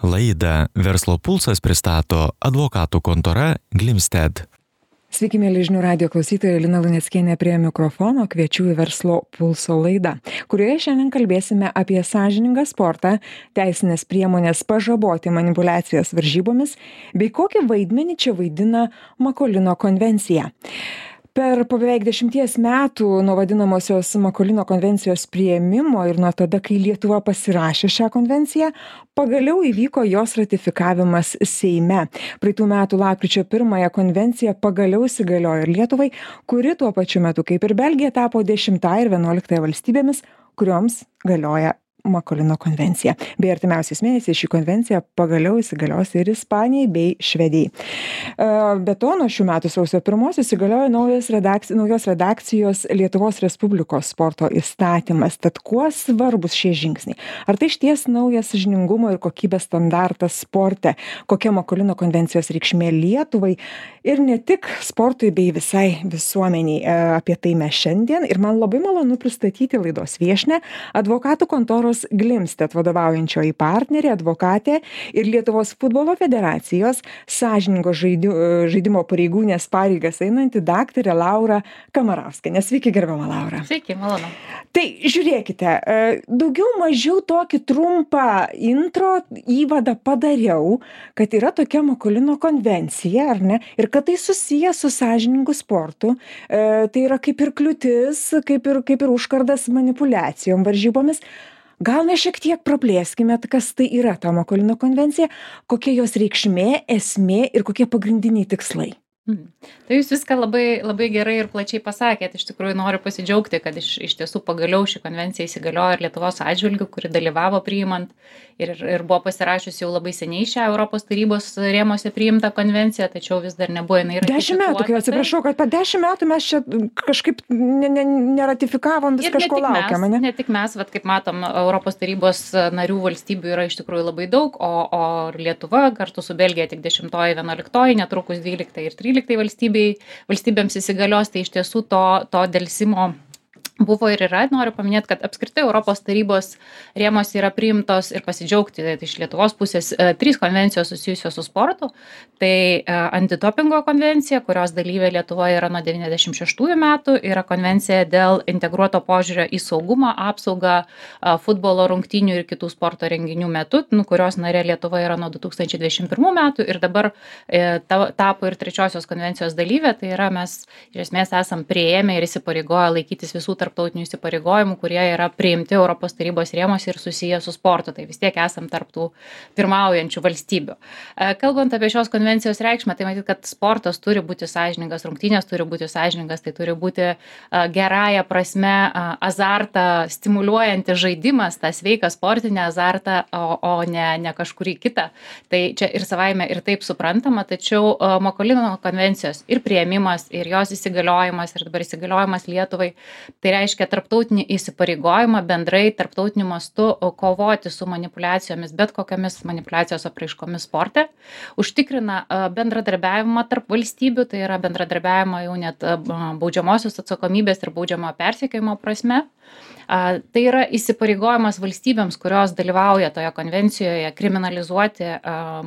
Laidą Verslo pulsas pristato advokatų kontora Glimstead. Sveiki, mėly žinių radijo klausytojai, Lina Luneckienė prie mikrofono, kviečiu į Verslo pulso laidą, kurioje šiandien kalbėsime apie sąžiningą sportą, teisinės priemonės pažaboti manipuliacijas varžybomis, bei kokį vaidmenį čia vaidina Makolino konvencija. Per beveik 10 metų nuo vadinamosios Makolino konvencijos priėmimo ir nuo tada, kai Lietuva pasirašė šią konvenciją, pagaliau įvyko jos ratifikavimas Seime. Praeitų metų lapkričio 1 konvencija pagaliau įsigaliojo ir Lietuvai, kuri tuo pačiu metu kaip ir Belgija tapo 10 ir 11 valstybėmis, kurioms galioja Makolino konvencija. Bei artimiausiais mėnesiais ši konvencija pagaliau įsigalios ir Ispanijai bei Švedijai. Be to, nuo šių metų sausio 1 įsigaliojo naujos redakcijos Lietuvos Respublikos sporto įstatymas. Tad kuo svarbus šie žingsniai? Ar tai išties naujas sąžiningumo ir kokybės standartas sporte? Kokia Makolino konvencijos reikšmė Lietuvai ir ne tik sportui bei visai visuomeniai? Apie tai mes šiandien ir man labai malonu pristatyti laidos viešnią, advokatų kontoros Glimstead vadovaujančioji partnerė, advokatė ir Lietuvos futbolo federacijos sąžiningo žaidimo pareigūnės pareigas einanti daktarė Laura Kamarauskienė. Sveiki, gerbiama Laura. Sveiki, malonu. Tai žiūrėkite, daugiau mažiau tokį trumpą įvadą padariau, kad yra tokia Makolino konvencija, ar ne? Ir kad tai susiję su sąžiningu sportu. Tai yra kaip ir kliūtis, kaip ir užkardas manipuliacijom, varžybomis. Gal mes šiek tiek praplėskime, kas tai yra ta Makolino konvencija, kokia jos reikšmė, esmė ir kokie pagrindiniai tikslai. Tai jūs viską labai gerai ir plačiai pasakėt. Iš tikrųjų noriu pasidžiaugti, kad iš tiesų pagaliau ši konvencija įsigaliojo ir Lietuvos atžvilgiu, kuri dalyvavo priimant ir buvo pasirašius jau labai seniai šią Europos tarybos rėmose priimtą konvenciją, tačiau vis dar nebuvo jinai ratifikuota. 10 metų, kai atsiprašau, kad per 10 metų mes čia kažkaip neratifikavom, vis kažko laukiam, ne? Ne tik mes, kaip matom, Europos tarybos narių valstybių yra iš tikrųjų labai daug, o Lietuva kartu su Belgija tik 10, 11, netrukus 12 ir 13 valstybėms įsigalios, tai iš tiesų to delsimo buvo ir yra. Noriu paminėti, kad apskritai Europos tarybos rėmose yra priimtos ir pasidžiaugti iš Lietuvos pusės 3 konvencijos susijusios su sportu. Tai antidopingo konvencija, kurios dalyvė Lietuvoje yra nuo 96 metų, yra konvencija dėl integruoto požiūrio į saugumą, apsaugą futbolo rungtynių ir kitų sporto renginių metu, kurios narė Lietuva yra nuo 2021 metų ir dabar tapo ir 3 konvencijos dalyvė. Tai yra mes iš esmės esam priėmę ir įsipareigoję laikytis visų tarptautinių įsipareigojimų, kurie yra priimti Europos tarybos rėmose ir susiję su sportu. Tai vis tiek esam tarp tų pirmaujančių valstybių. Kalbant apie šios konvencijos reikšmę, tai matyt, kad sportas turi būti sąžiningas, rungtynės turi būti sąžiningas, tai turi būti gerąja prasme azartą stimuliuojantis žaidimas, tą sveiką sportinę azartą, o ne kažkurį kitą. Tai čia ir savaime ir taip suprantama, tačiau Makolino konvencijos ir priėmimas, ir jos įsigaliojimas, ir dabar įsigaliojimas Lietuvai, tai reiškia tarptautinį įsipareigojimą bendrai tarptautiniu mastu kovoti su manipuliacijomis, bet kokiamis manipuliacijos apraiškomis sporte, užtikrina bendradarbiavimą tarp valstybių, tai yra bendradarbiavimą jau net baudžiamosios atsakomybės ir baudžiamo persekiojimo prasme. Tai yra įsipareigojimas valstybėms, kurios dalyvauja toje konvencijoje, kriminalizuoti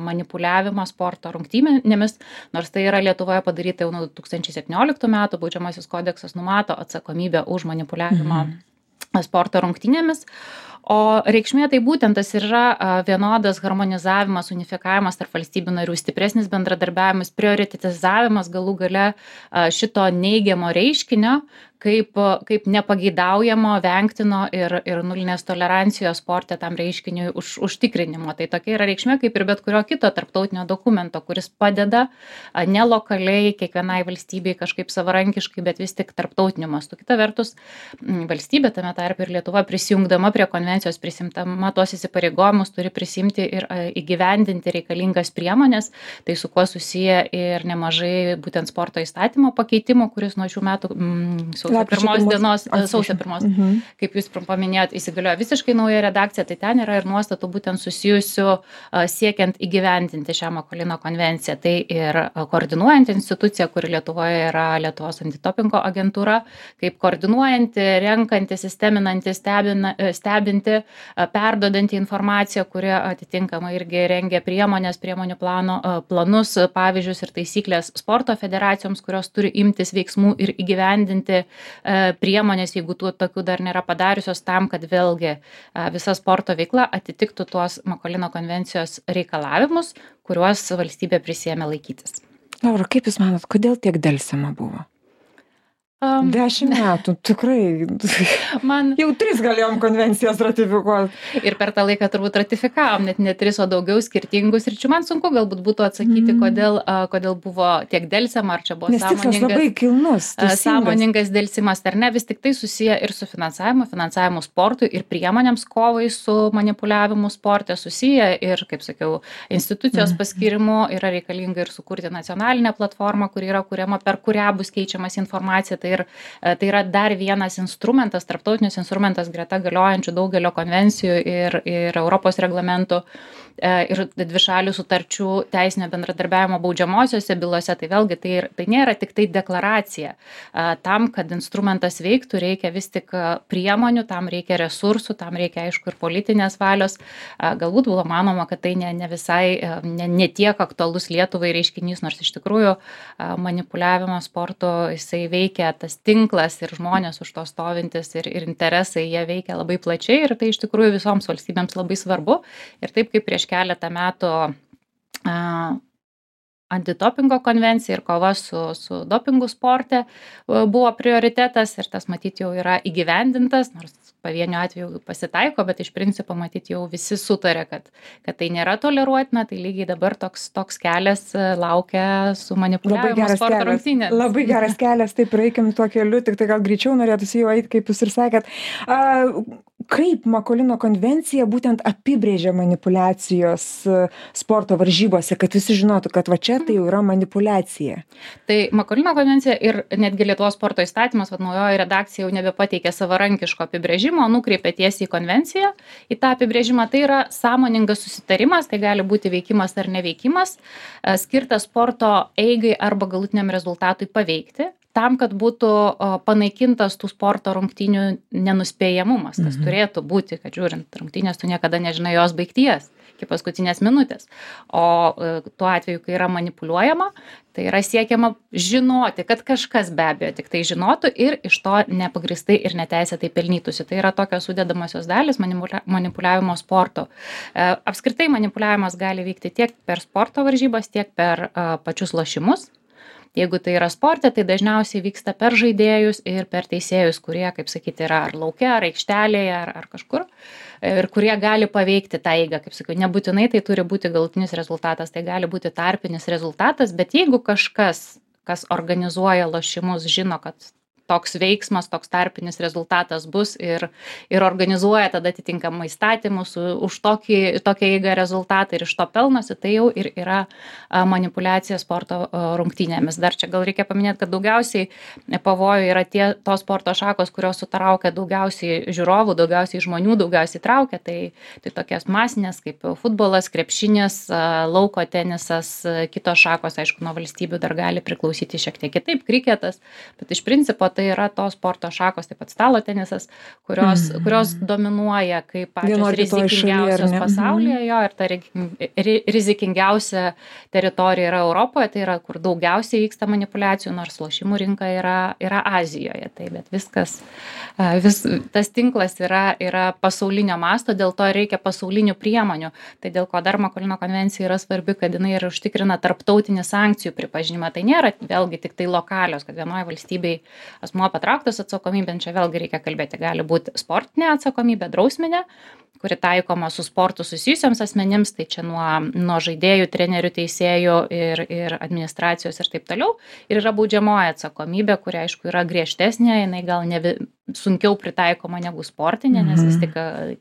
manipuliavimą sporto rungtynėmis, nors tai yra Lietuvoje padaryta jau nuo 2017 metų, baudžiamasis kodeksas numato atsakomybę už manipuliavimą sporto rungtynėmis. O reikšmė tai būtent tas yra vienodas harmonizavimas, unifikavimas tarp valstybių narių, stipresnis bendradarbiavimas, prioritetizavimas galų gale šito neigiamo reiškinio, kaip nepageidaujamo, vengtino ir nulinės tolerancijos sporte tam reiškiniui užtikrinimo. Tai tokia yra reikšmė kaip ir bet kurio kito tarptautinio dokumento, kuris padeda ne lokaliai kiekvienai valstybei kažkaip savarankiškai, bet vis tik tarptautiniu mastu. Kita vertus, valstybė, tame tarpe ir Lietuva, prisijungdama prie konvencijos, prisimtama tuos įsipareigojimus, turi prisimti ir įgyvendinti reikalingas priemonės, tai su kuo susiję ir nemažai būtent sporto įstatymo pakeitimų, kuris nuo šių metų sausio 1, kaip jūs paminėjot, įsigaliojo visiškai nauja redakcija, tai ten yra ir nuostatų būtent susijusių siekiant įgyvendinti šią Makolino konvenciją. Tai ir koordinuojanti institucija, kuri Lietuvoje yra Lietuvos antidopingo agentūra, kaip koordinuojanti, renkanti, sisteminanti, stebinti informuoti, perduodanti informaciją, kuri atitinkamai irgi rengia priemonių planus, pavyzdžius ir taisyklės sporto federacijoms, kurios turi imtis veiksmų ir įgyvendinti priemonės, jeigu tokių dar nėra padariusios, tam, kad vėlgi visa sporto veikla atitiktų tuos Makolino konvencijos reikalavimus, kuriuos valstybė prisiėmė laikytis. Laura, kaip Jūs manot, kodėl tiek delsiama buvo? 10 metų, tikrai. Jau 3 galėjom konvencijas ratifikuoti. Ir per tą laiką turbūt ratifikavom, net ne 3, o daugiau skirtingų sričių. Man sunku galbūt būtų atsakyti, kodėl buvo tiek delsiama, ar čia buvo labai kilnus, sąmoningas delsimas, ar ne, vis tik tai susiję ir su finansavimu sportui ir priemonėms kovai su manipuliavimu sporte susiję ir, kaip sakiau, institucijos paskirimu yra reikalinga ir sukurti nacionalinę platformą, kuri yra kuriama, per kurią bus keičiamas informacija. Tai yra dar vienas instrumentas, tarptautinis instrumentas greta galiojančių daugelio konvencijų ir Europos reglamentų ir dvišalių sutarčių teisinio bendradarbiavimo baudžiamosiose bylose. Tai vėlgi tai nėra tik tai deklaracija. Tam, kad instrumentas veiktų, reikia vis tik priemonių, tam reikia resursų, tam reikia aišku ir politinės valios. Galbūt buvo manoma, kad tai ne visai, ne tiek aktualus Lietuvai reiškinys, nors iš tikrųjų manipuliavimo sporto jisai veikia, tas tinklas ir žmonės už to stovintis ir interesai, jie veikia labai plačiai ir tai iš tikrųjų visoms valstybėms labai svarbu. Ir taip kaip prieš keletą metų antidopingo konvencija ir kova su dopingu sporte buvo prioritetas ir tas matyt jau yra įgyvendintas, nors pavienių atvejų pasitaiko, bet iš principo matyt jau visi sutarė, kad tai nėra toleruotina, tai lygiai dabar toks kelias laukia su manipuliavimu sporto rungtynėmis. Labai geras kelias, taip reikim tuo keliu, tik tai gal greičiau norėtųsi jau eiti, kaip Jūs ir sakėt. Kaip Makolino konvencija būtent apibrėžia manipulacijos sporto varžybose, kad visi žinotų, kad va čia tai jau yra manipulacija? Tai Makolino konvencija ir netgi Lietuvos sporto įstatymas, naujoji redakcija jau nebepateikė savarankiško apibrėžimo, nukreipė tiesiai į konvenciją. Į tą apibrėžimą tai yra sąmoningas susitarimas, tai gali būti veikimas ar neveikimas, skirtas sporto eigai arba galutiniam rezultatui paveikti, tam, kad būtų panaikintas tų sporto rungtynių nenuspėjamumas, kas turėtų būti, kad žiūrint rungtynės, tu niekada nežinai jos baigties iki paskutinės minutės. O tuo atveju, kai yra manipuliuojama, tai yra siekiama žinoti, kad kažkas be abejo tik tai žinotų ir iš to nepagristai ir neteisėtai pelnytųsi. Tai yra tokios sudedamosios dalis manipuliavimo sporto. Apskritai manipuliavimas gali vykti tiek per sporto varžybas, tiek per pačius lošimus. Jeigu tai yra sporte, tai dažniausiai vyksta per žaidėjus ir per teisėjus, kurie, kaip sakyti, yra ar lauke, ar aikštelėje, ar kažkur, ir kurie gali paveikti tą eigą, kaip sakiau, nebūtinai tai turi būti galutinis rezultatas, tai gali būti tarpinis rezultatas, bet jeigu kažkas, kas organizuoja lošimus, žino, kad toks veiksmas, toks tarpinis rezultatas bus ir organizuoja tada atitinkamai įstatymus už tokią eigą rezultatą ir iš to pelnosi, tai jau ir yra manipuliacija sporto rungtynėmis. Dar čia gal reikia paminėti, kad daugiausiai pavojų yra tos sporto šakos, kurios sutraukia daugiausiai žiūrovų, daugiausiai žmonių, daugiausiai traukia. Tai tokias masinės kaip futbolas, krepšinis, lauko tenisas, kitos šakos, aišku, nuo valstybių dar gali priklausyti šiek tiek kitaip, kriketas, bet iš principo tai yra tos sporto šakos, taip pat stalo tenisas, kurios dominuoja kaip pačios rizikingiausios pasaulyje, jo, ir ta rizikingiausia teritorija yra Europoje, tai yra, kur daugiausiai vyksta manipuliacijų, nors lošimų rinka yra Azijoje. Tai bet tas tinklas yra pasaulinio masto, dėl to reikia pasaulinių priemonių. Tai dėl ko dar Makolino konvencija yra svarbi, kad jinai ir užtikrina tarptautinį sankcijų pripažinimą. Tai nėra vėlgi tik tai lokalios, kad vienoje valstybėje asmuo patrauktas atsakomybėn, čia vėlgi reikia kalbėti, gali būti sportinė atsakomybė, drausminė, kuri taikoma su sportu susijusiams asmenims, tai čia nuo žaidėjų, trenerių, teisėjų ir administracijos ir taip toliau. Ir yra baudžiamoji atsakomybė, kuri aišku yra griežtesnė, jinai gal sunkiau pritaikoma negu sportinė, nes vis tik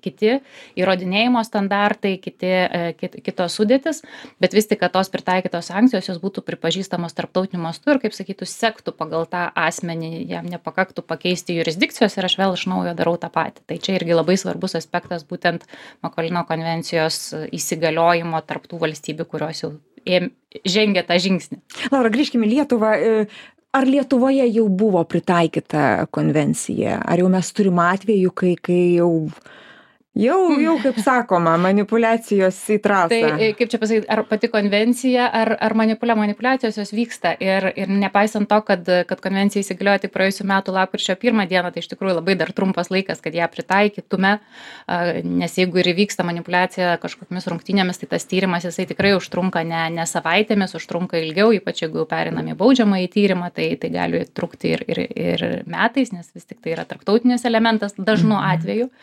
kiti įrodinėjimo standartai, kitos sudėtis, bet vis tik, kad tos pritaikytos sankcijos jos būtų pripažįstamos tarptautiniu mastu ir, kaip sakytų, sektų pagal tą asmenį, jam nepakaktų pakeisti jurisdikcijos ir aš vėl iš naujo darau tą patį. Tai čia irgi labai svarbus aspektas būtent Makolino konvencijos įsigaliojimo tarptų valstybių, kurios jau žengia tą žingsnį. Laura, grįžkime į Lietuvą. Ar Lietuvoje jau buvo pritaikyta konvencija? Ar jau mes turim atvejų, kai jau Jau, kaip sakoma, manipulacijos į trasą. Tai kaip čia pasakyti, ar pati konvencija, ar manipuliacijos jos vyksta. Ir nepaisant to, kad konvencija įsigaliojo tik praėjusiu metu lapkričio 1 dieną, tai iš tikrųjų labai dar trumpas laikas, kad ją pritaikytume, nes jeigu ir įvyksta manipuliacija kažkokiamis rungtynėmis, tai tas tyrimas jisai tikrai užtrunka ne savaitėmis, užtrunka ilgiau, ypač jeigu jau periname į baudžiamąjį tyrimą, tai gali trukti ir metais, nes vis tik tai yra tarptautinis elementas dažnu atveju.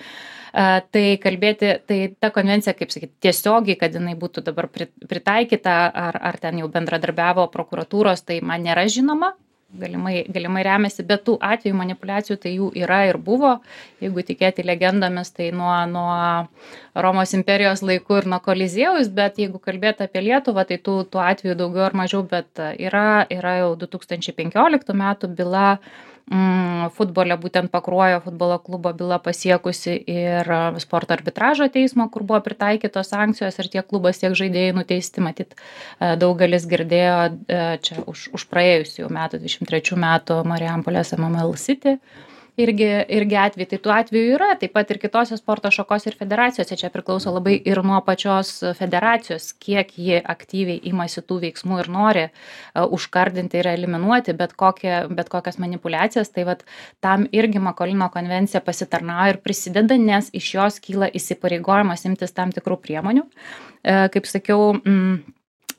Tai kalbėti, tai ta konvencija, kaip sakyti, tiesiogiai, kad jinai būtų dabar pritaikyta, ar ten jau bendradarbiavo prokuratūros, tai man nėra žinoma, galimai remiasi, bet tų atvejų manipuliacijų tai jų yra ir buvo, jeigu tikėti legendomis, tai nuo Romos imperijos laikų ir nuo Koliziejaus, bet jeigu kalbėti apie Lietuvą, tai tų atvejų daugiau ar mažiau, bet yra jau 2015 metų byla futbole, būtent Pakruojo futbolo klubo byla pasiekusi ir sporto arbitražo teismo, kur buvo pritaikytos sankcijos ir tiek klubas, tiek žaidėjai nuteisti, matyt, daugelis girdėjo čia už praėjusių metų, 23 metų Marijampolės MML City. Irgi atvejai, tai tų atvejų yra, taip pat ir kitose sporto šakos ir federacijose, čia priklauso labai ir nuo pačios federacijos, kiek ji aktyviai imasi tų veiksmų ir nori užkardinti ir eliminuoti bet kokias manipulacijas, tai vat tam irgi Makolino konvencija pasitarnauja ir prisideda, nes iš jos kyla įsipareigojimas imtis tam tikrų priemonių. Kaip sakiau,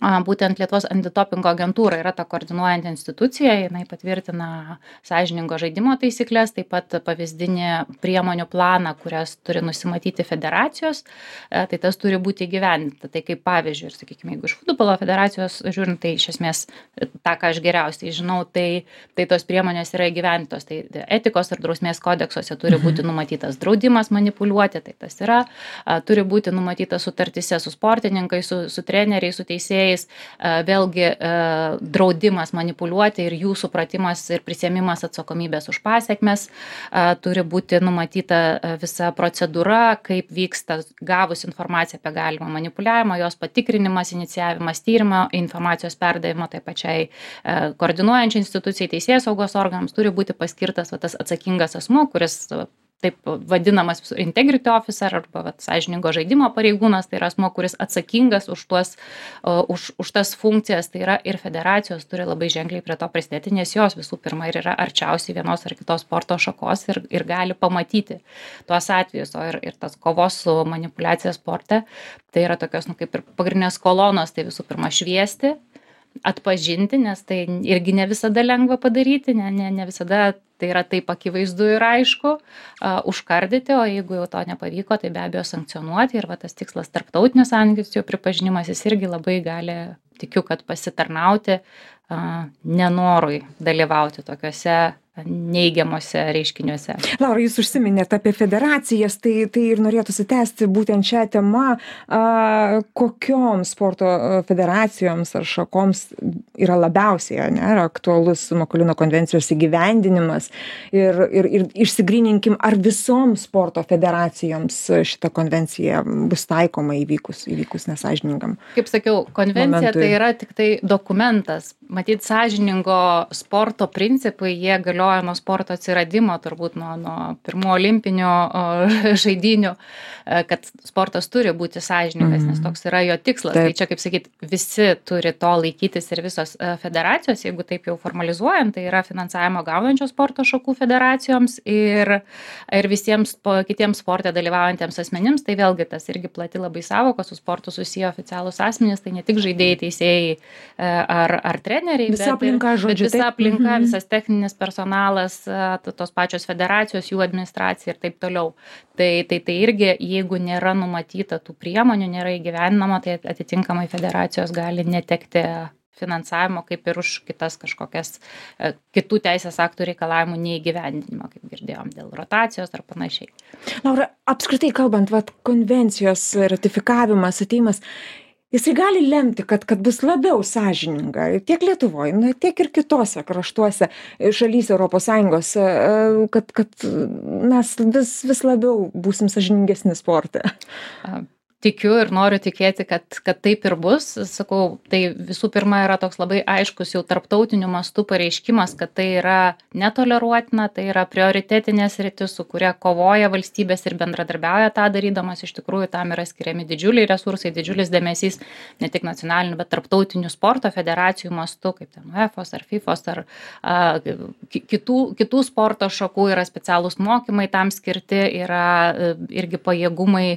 būtent Lietuvos antidopingo agentūra yra ta koordinuojanti institucija, jinai patvirtina sąžiningo žaidimo taisyklės, taip pat pavyzdinį priemonių planą, kurias turi nusimatyti federacijos, tai tas turi būti įgyvendinta. Tai kaip pavyzdžiui, ir sakykime, jeigu iš futbolo federacijos žiūrint, tai iš esmės tą, ką aš geriausiai žinau, tai tos priemonės yra įgyvendintos, tai etikos ir drausmės kodeksuose turi būti numatytas draudimas manipuliuoti, tai tas yra, turi būti numatytas sutartyse su sportininkais, su treneriais, su teisėjais, vėlgi draudimas manipuliuoti ir jų supratimas ir prisiėmimas atsakomybės už pasekmes, turi būti numatyta visa procedūra, kaip vyksta gavus informaciją apie galimą manipuliavimą, jos patikrinimas, inicijavimas tyrimo, informacijos perdavimo tai pačiai koordinuojančiai institucijai, teisėsaugos organams, turi būti paskirtas tas atsakingas asmuo, kuris taip vadinamas integrity officer arba sąžiningo žaidimo pareigūnas, tai yra asmuo, kuris atsakingas už tas funkcijas, tai yra ir federacijos turi labai ženkliai prie to prisidėti, nes jos visų pirma ir yra arčiausiai vienos ar kitos sporto šakos ir gali pamatyti tuos atvejus, o ir tas kovos su manipuliacija sporte, tai yra tokios, kaip ir pagrindinės kolonos, tai visų pirma šviesti, atpažinti, nes tai irgi ne visada lengva padaryti, ne visada tai yra taip akivaizdu ir aišku, užkardyti, o jeigu jau to nepavyko, tai be abejo sankcionuoti ir tas tikslas tarptautinis sankcijų pripažinimas, jis irgi labai gali, tikiu, kad pasitarnauti nenorui dalyvauti tokiuose neigiamuose reiškiniuose. Laura, jūs užsiminėte apie federacijas, tai ir norėtųsi tęsti būtent šią temą, kokioms sporto federacijoms ar šakoms yra labiausiai aktualus Makolino konvencijos įgyvendinimas ir išsigryninkim, ar visoms sporto federacijoms šita konvencija bus taikoma įvykus nesąžiningam. Kaip sakiau, konvencija momentui. Tai yra tik tai dokumentas. Matyt, sąžiningo sporto principai, jie galioja nuo sporto atsiradimo, turbūt nuo pirmų olimpinių žaidynių, kad sportas turi būti sąžiningas, nes toks yra jo tikslas. Taip. Tai čia, kaip sakyt, visi turi to laikytis ir visos federacijos, jeigu taip jau formalizuojant, tai yra finansavimo gaunančios sporto šakų federacijoms ir visiems kitiems sporte dalyvaujantiems asmenims, tai vėlgi tas irgi plati labai savoka, su sportu susiję oficialūs asmenys, tai ne tik žaidėjai, teisėjai ar treneriai, visa aplinka, žodžiu, visa aplinka, visas techninis personalas, tos pačios federacijos, jų administracija ir taip toliau. Tai irgi, jeigu nėra numatyta tų priemonių, nėra įgyvendinama, tai atitinkamai federacijos gali netekti finansavimo kaip ir už kitas kažkokias kitų teisės aktų reikalavimų neįgyvendinimą, kaip girdėjom, dėl rotacijos ar panašiai. Laura, apskritai kalbant, konvencijos ratifikavimas, ateimas, jisai gali lemti, kad bus labiau sąžininga tiek Lietuvoje, tiek ir kitose kraštuose šalyse ES, kad mes vis labiau būsim sąžiningesni sporte. tikiu ir noriu tikėti, kad taip ir bus. Sakau, tai visų pirma yra toks labai aiškus jau tarptautiniu mastu pareiškimas, kad tai yra netoleruotina, tai yra prioritetinės sritis, su kuria kovoja valstybės ir bendradarbiauja tą darydamas. Iš tikrųjų, tam yra skiriami didžiuliai resursai, didžiulis dėmesys, ne tik nacionalinių, bet tarptautinių sporto federacijų mastu, kaip ten UEFOS ar FIFOS ar kitų sporto šakų yra specialūs mokymai tam skirti, yra irgi pajėgumai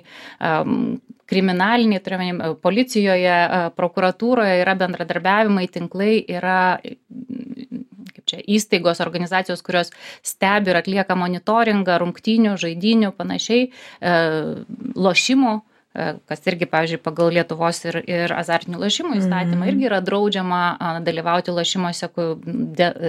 kriminaliniai, turime policijoje, prokuratūroje yra bendradarbiavimai, tinklai, yra įstaigos, organizacijos, kurios stebi ir atlieka monitoringą, rungtynių, žaidynių, panašiai, lošimų, kas irgi, pavyzdžiui, pagal Lietuvos ir azartinių lošimų įstatymą irgi yra draudžiama dalyvauti lošimuose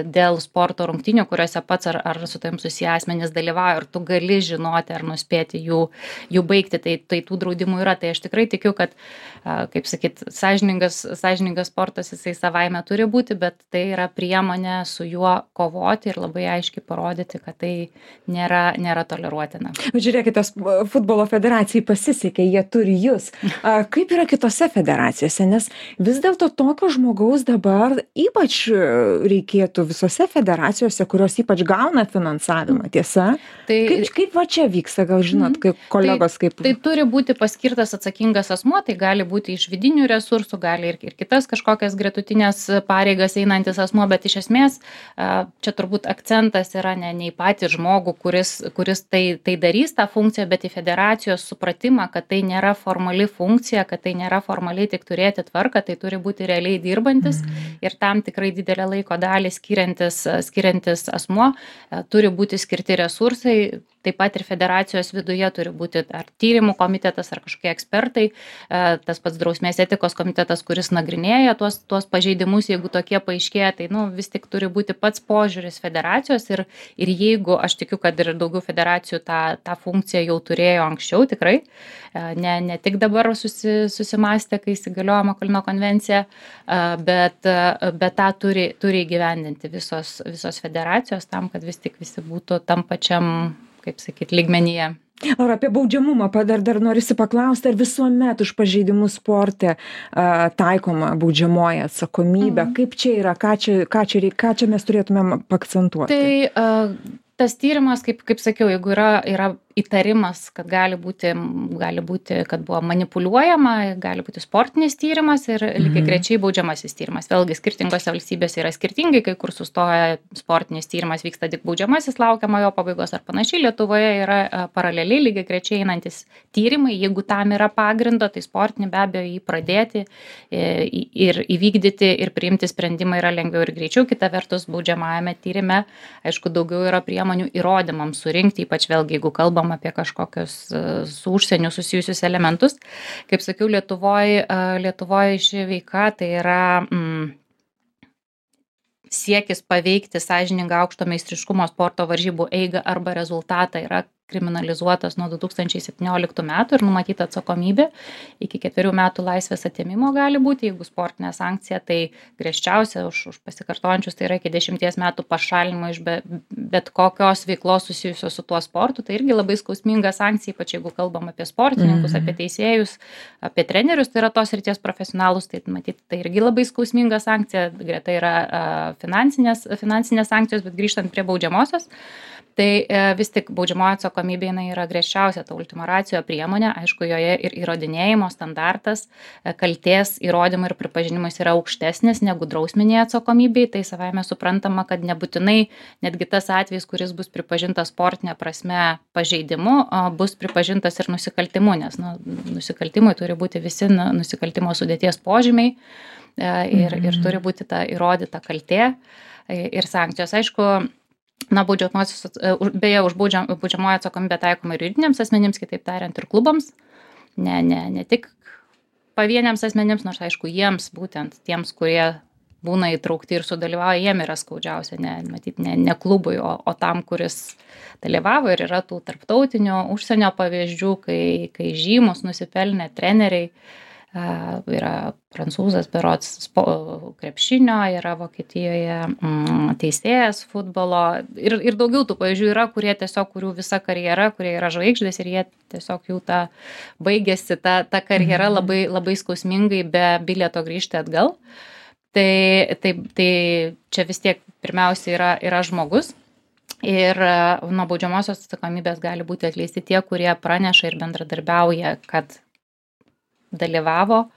dėl sporto rungtynių, kuriuose pats ar su tavim susiję asmenys dalyvauja, ir tu gali žinoti ar nuspėti jų baigti. Tai tų draudimų yra. Tai aš tikrai tikiu, kad, kaip sakyt, sąžiningas sportas jisai savaime turi būti, bet tai yra priemonė su juo kovoti ir labai aiškiai parodyti, kad tai nėra toleruotina. Žiūrėkite, futbolo federacijai pasisekė, jie turi jūs. Kaip yra kitose federacijose? Nes vis dėlto tokio žmogaus dabar ypač reikėtų visose federacijose, kurios ypač gauna finansavimą, tiesa? Kaip va čia vyksta, gal žinot, kaip kolegos kaip... Tai turi būti paskirtas atsakingas asmuo, tai gali būti iš vidinių resursų, gali ir kitas kažkokias gretutinės pareigas einantis asmuo, bet iš esmės čia turbūt akcentas yra ne į patį žmogų, kuris tai darys tą funkciją, bet į federacijos supratimą, kad tai nėra formali funkcija, kad tai nėra formaliai tik turėti tvarką, tai turi būti realiai dirbantis ir tam tikrai didelę laiko dalį skiriantis asmuo, turi būti skirti resursai, taip pat ir federacijos viduje turi būti ar tyrimų komitetas, ar kažkokie ekspertai, tas pats drausmės etikos komitetas, kuris nagrinėja tuos pažeidimus, jeigu tokie paaiškėja, tai vis tik turi būti pats požiūris federacijos ir jeigu, aš tikiu, kad ir daugiau federacijų tą funkciją jau turėjo anksčiau, tikrai, ne tik dabar susimastė, kai įsigaliojo Makolino konvencija, bet tą turi įgyvendinti visos federacijos tam, kad vis tik visi būtų tam pačiam, kaip sakyt, lygmenyje. Ar apie baudžiamumą dar norisi paklausti, ar visuomet už pažeidimus sporte taikoma baudžiamoji atsakomybė? Kaip čia yra, ką čia mes turėtumėm akcentuoti? Tai tas tyrimas, kaip sakiau, jeigu yra įtarimas, kad gali būti, kad buvo manipuliuojama, gali būti sportinis tyrimas ir lygiai grečiai baudžiamasis tyrimas. Vėlgi skirtingose valstybėse yra skirtingai, kai kur sustoja sportinis tyrimas, vyksta tik baudžiamasis, laukiama jo pabaigos ar panašiai. Lietuvoje yra paraleliai lygiai grečiai einantis tyrimai, jeigu tam yra pagrindo, tai sportinį be abejo jį pradėti ir įvykdyti ir priimti sprendimą yra lengviau ir greičiau. Kita vertus, baudžiamajame tyrime, aišku, daugiau yra priemonių įrodymams surinkti, ypač vėlgi, jeigu kalbam apie kažkokius su užsieniu susijusius elementus. Kaip sakiau, Lietuvoje ši veika tai yra siekis paveikti sąžiningą aukšto meistriškumo sporto varžybų eigą arba rezultatą yra kriminalizuotas nuo 2017 metų ir numatyta atsakomybė iki 4 metų laisvės atėmimo gali būti, jeigu sportinė sankcija, tai griežčiausia už pasikartojančius tai yra iki 10 metų pašalinimo iš bet kokios veiklos susijusios su tuo sportu, tai irgi labai skausminga sankcija, ypač jeigu kalbam apie sportininkus, apie teisėjus, apie trenerius, tai yra tos srities profesionalus, tai matyti, tai irgi labai skausminga sankcija, greta yra finansinės sankcijos, bet grįžtant prie baudžiamosios, tai vis tik baudžiamoji atsakomybė yra griežčiausia ta ultima ratio priemonė, aišku, joje ir įrodinėjimo standartas, kaltės įrodymų ir pripažinimas yra aukštesnis negu drausminėje atsakomybėje, tai savaime suprantama, kad nebūtinai netgi tas atvejis, kuris bus pripažintas sportinė prasme pažeidimu, bus pripažintas ir nusikaltimu, nes nusikaltimui turi būti visi nusikaltimo sudėties požymiai ir turi būti ta įrodyta kaltė ir sankcijos. Aišku, beje, už baudžiamoji atsakomybė taikoma ir juridiniams asmenims, kitaip tariant, ir klubams, ne tik pavieniams asmenims, nors aišku, jiems būtent tiems, kurie būna įtraukti ir sudalyvauja, jiem yra skaudžiausia, ne klubui, o tam, kuris dalyvavo, ir yra tų tarptautinių užsienio pavyzdžių, kai žymus nusipelnę treneriai yra prancūzas berods krepšinio, yra Vokietijoje teisėjas futbolo ir daugiau tų pavyzdžių yra, kurie tiesiog, kurių visa karjera, kurie yra žvaigždės ir jie tiesiog jų baigėsi ta karjera labai, labai skausmingai be bilieto grįžti atgal. Tai čia vis tiek pirmiausia yra žmogus. Ir nuo baudžiamosios atsakomybės gali būti atleisti tie, kurie praneša ir bendradarbiauja, kad dalyvavo,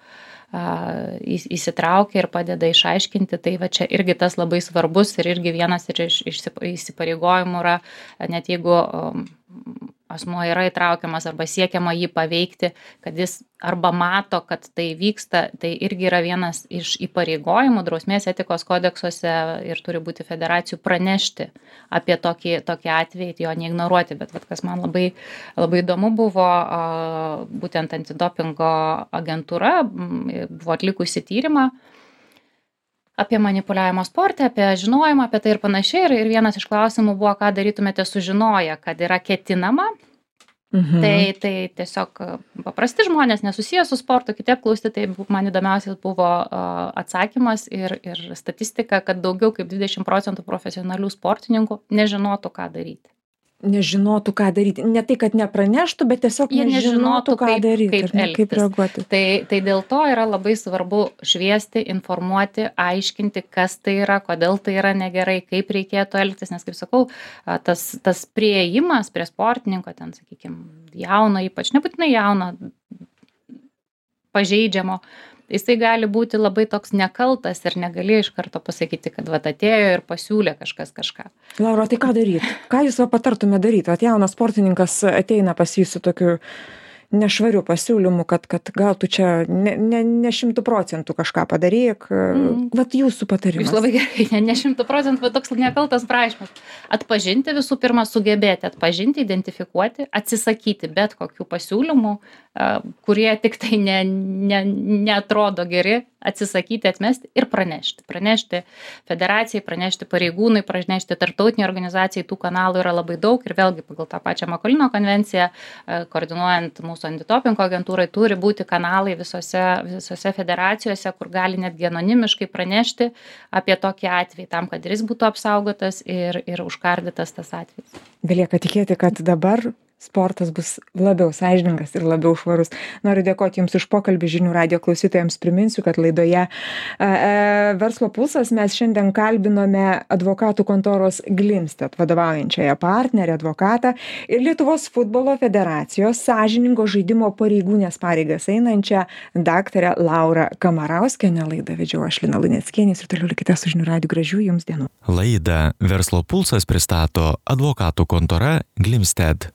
įsitraukia ir padeda išaiškinti. Tai va čia irgi tas labai svarbus ir irgi vienas iš įsipareigojimų yra, net jeigu asmuo yra įtraukiamas arba siekiama jį paveikti, kad jis arba mato, kad tai vyksta, tai irgi yra vienas iš įpareigojimų drausmės etikos kodeksuose ir turi būti federacijų pranešti apie tokį atvejį, jo neignoruoti. Bet kas man labai, labai įdomu buvo, būtent antidopingo agentūra buvo atlikusi tyrimą apie manipuliavimo sporte, apie žinojimą, apie tai ir panašiai. Ir vienas iš klausimų buvo, ką darytumėte sužinoję, kad yra ketinama. Tai tiesiog paprasti žmonės, nesusiję su sportu, kiti apklausti, tai man įdomiausias buvo atsakymas ir statistika, kad daugiau kaip 20% profesionalių sportininkų nežinotų, ką daryti. Nežinotų, ką daryti. Ne tai, kad nepraneštų, bet tiesiog nežinotų, ką daryti, kaip reaguoti. Tai dėl to yra labai svarbu šviesti, informuoti, aiškinti, kas tai yra, kodėl tai yra negerai, kaip reikėtų elgtis, nes, kaip sakau, tas priėjimas prie sportininko, ten, sakykime, jauno, ypač nebūtinai jauno, pažeidžiamo, jisai gali būti labai toks nekaltas ir negali iš karto pasakyti, kad atėjo ir pasiūlė kažką. Laura, tai ką daryti? Ką jūs patartume daryti? Jaunas sportininkas ateina pas jį su tokiu nešvariu pasiūlymu, kad gal tu čia ne 100% kažką padaryk. Jūsų patarimas. Jūs labai gerai, ne 100%, bet toks nekaltas prašymas. Atpažinti visų pirma, sugebėti atpažinti, identifikuoti, atsisakyti bet kokių pasiūlymų, kurie tik tai neatrodo geri, atsisakyti, atmesti ir pranešti. Pranešti federacijai, pranešti pareigūnai, pranešti tarptautiniai organizacijai, tų kanalų yra labai daug ir vėlgi pagal tą pačią Makolino konvenciją, koordinuojant mūsų antidopingo agentūrai, turi būti kanalai visose federacijose, kur gali netgi anonimiškai pranešti apie tokį atvejį, tam, kad jis būtų apsaugotas ir užkardytas tas atvejis. Belieka tikėti, kad dabar sportas bus labiau sąžiningas ir labiau švarus. Noriu dėkoti Jums už pokalbį. Žinių radijo klausytojams priminsiu, kad laidoje Verslo pulsas mes šiandien kalbinome advokatų kontoros Glimstedt vadovaujančiąją partnerę advokatą ir Lietuvos futbolo federacijos sąžiningo žaidimo pareigūnės pareigas einančią daktarę Laurą Kamarauskienę. Laidą vedžiau aš, Lina Luneckienė, ir toliau likite su Žinių radiju. Gražių Jums dienų. Laidą Verslo pulsas pristato advokatų kontora Glimstedt.